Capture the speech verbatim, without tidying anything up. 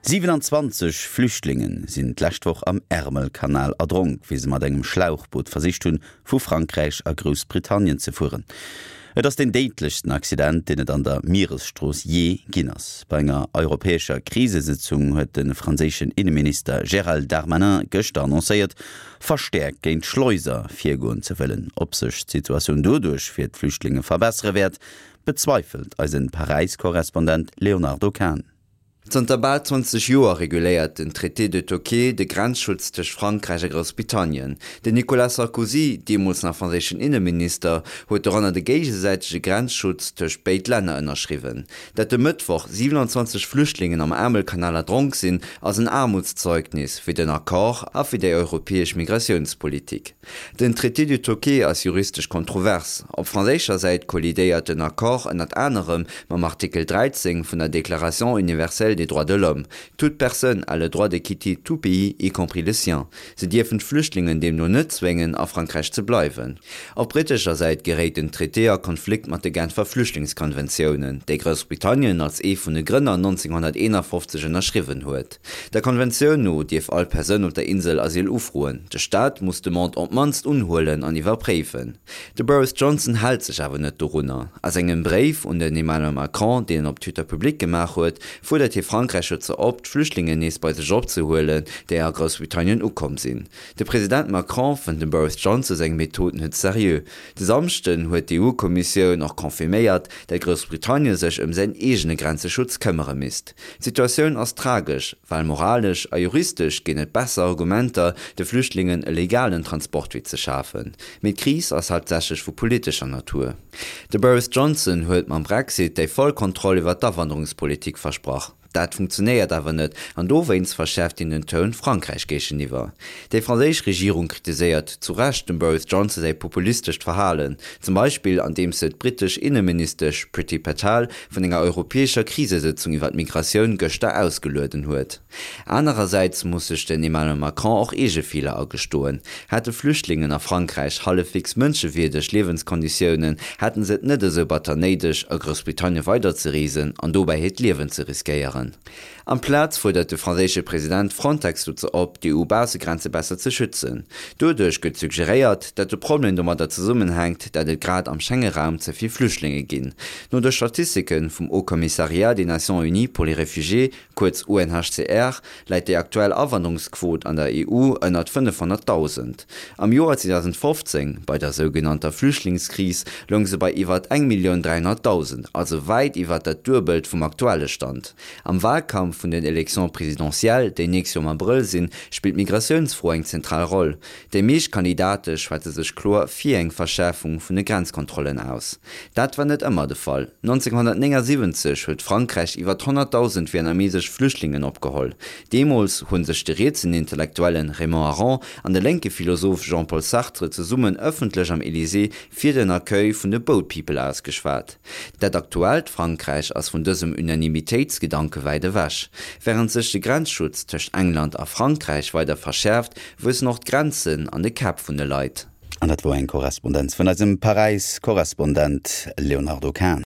siewenanzwanzeg Flüchtlingen sinn d'lescht Woch am Ärmelkanal erdronk, wéi se mat engem Schlauchboot versicht hunn, vu Frankräich a Groussbritannien ze fueren. Et ass den déidlechsten Accident, deen et an der Mieresstrooss jee ginn ass. Bei enger europäescher Krisesëtzung huet de franséischen Inneminister Gérald Darmanin gëschter annoncéiert, verstäerkt géint Schleuser virgoen ze wëllen. Ob sech d'Situatioun doduerch fir d'Flüchtlinge verbessere wäert, bezweifelt eisen Paräis-Korrespondent Léonardo Kahn. Zanter bal zwanzeg Joer reguléiert den Traité de Touquet de Grenzschutz tëscht Frankräich a Groussbritannien. Den Nicolas Sarkozy, deemools nach franséischen Inneminister, huet doranner de géigesäitege Grenzschutz tëscht béid Länner ënnerschriwwen. Dat de Mëttwoch siewenanzwanzeg Flüchtlingen am Ärmelkanal erdronk sinn, ass en Aarmutszeugnis fir den Accord a fir déi europäesch Migratiounspolitik. Den Traité du Touquet ass juristesch kontrovers. Op franséischer Säit kollidéiert den Accord ënnert anerem mam Artikel dräizéng vun der Déclaration universelle des droits de l'homme, Toute personne a le droit de quitter tout pays, y compris le sien. Se dierfen d'Flüchtlingen deemno net zwéngen, a Frankräich ze bleiwen. Op brittescher Säit geréit den Traité a Konflikt mat de Genfer Flüchtlingskonventiounen, déi Groussbritannien als ee vun de Grënner nonzénghonnerteenafofzeg ënnerschriwwen huet. Der Konventioun no dierf all Persoun op der Insel Asyl ufroen. De Staat muss d'Demande op d'mannst unhuelen an iwwerpréifen. De Boris Johnson hält sech awer net dorunner. A sengem Bréif un den Emmanuel Macron, deen en op Twitter public gemaach huet, fuerdert hie Frankräich dozou op, d'Flüchtlingen nees bei sech opzehuelen, déi a Groussbritannien ukomm sinn. De President Macron fënnt dem Boris Johnson seng Method net seriö. De Samschden huet d'EU-Kommissioun och confirméiert, dat Groussbritannien sech ëm säin eegene Grenzeschutz këmmere misst. D'Situatioun ass tragesch, well moralesch a juristesch ginn et besser Argumenter, de Flüchtlingen e legalen Transportwee ze schafen. Mee d'Kris ass haaptsächlech vu politescher Natur. De Boris Johnson huet mam Brexit déi voll Kontroll iwwer d'Awanderungspolitik versprach. Dat funktionéiert awer net an dowéinst verschäerft hien den Toun Frankräich géigeniwwer. Déi franséisch Regierung kritiséiert zu Recht dem Boris Johnson säi populistescht Verhalen, zum Beispill andeems se d'brittesch Inneministesch Priti Patel vun enger europäescher Krisesëtzung iwwer d'Migratioun gëschter ausgelueden huet. Anerersäits muss sech den Emmanuel Macron och eege Feeler agestoen. Hätte Flüchtlingen a Frankräich hallefwegs mënschewierdeg Liewenskonditiounen, hätten se et net esou batter néideg, a Groussbritannien weiderzereesen an dobäi hiert Liewen ze riskéieren. Amplaz fuerdert de franséische President Frontex dozou op, d'EU-Baussegrenze besser ze schützen. Doduerch gëtt suggeréiert, datt de Problem domadder zesummenhänkt, datt et grad am Schengeraum ze vill Flüchtlinge ginn. No de Statistike vum Haut Commissariat des Nations Unies pour les Réfugiés, kuerz U N H C R, läit déi aktuell Awanderungsquot an der E U ënnert fënnefhonnertdausend. Am Joer zweedausendfofzéng, bei der sougenannter Flüchtlingskris, loung se bei iwwert eng Millioun dräihonnertdausend, also wäit iwwert dat Duebelt vum aktuelle Stand. Am Wahlkampf vun den Élections présidentielles, déi nächst Joer am Abrëll sinn, spillt d'Migratiounsfro eng zentral Roll. Déi meescht Kandidate schwätze sech kloer fir eng Verschäerfung vun de Grenzkontrollen aus. Dat war net ëmmer de Fall. nonzénghonnertnéngasiwwenzeg huet Frankräich iwwer honnertdausend vietnamesesch Flüchtlingen opgeholl. Deemools hu sech de rietsen Intellektuelle Raymond Aron an de lénke Philosoph Jean-Paul Sartre zesummen ëffentlech am Elysée fir den Accueil vun de Boat People ausgeschwat. Dat aktuellt Frankräich ass vun dësem Unanimitéitsgedanke wäit ewech. Wärend sech de Grenzschutz tëscht England a Frankräich weider verschäerft, wuessen och d'Grenzen an de Käpp vun de Leit. An dat wor eng Korrespondenz vun eisem Paräis-Korrespondent Léonardo Kahn.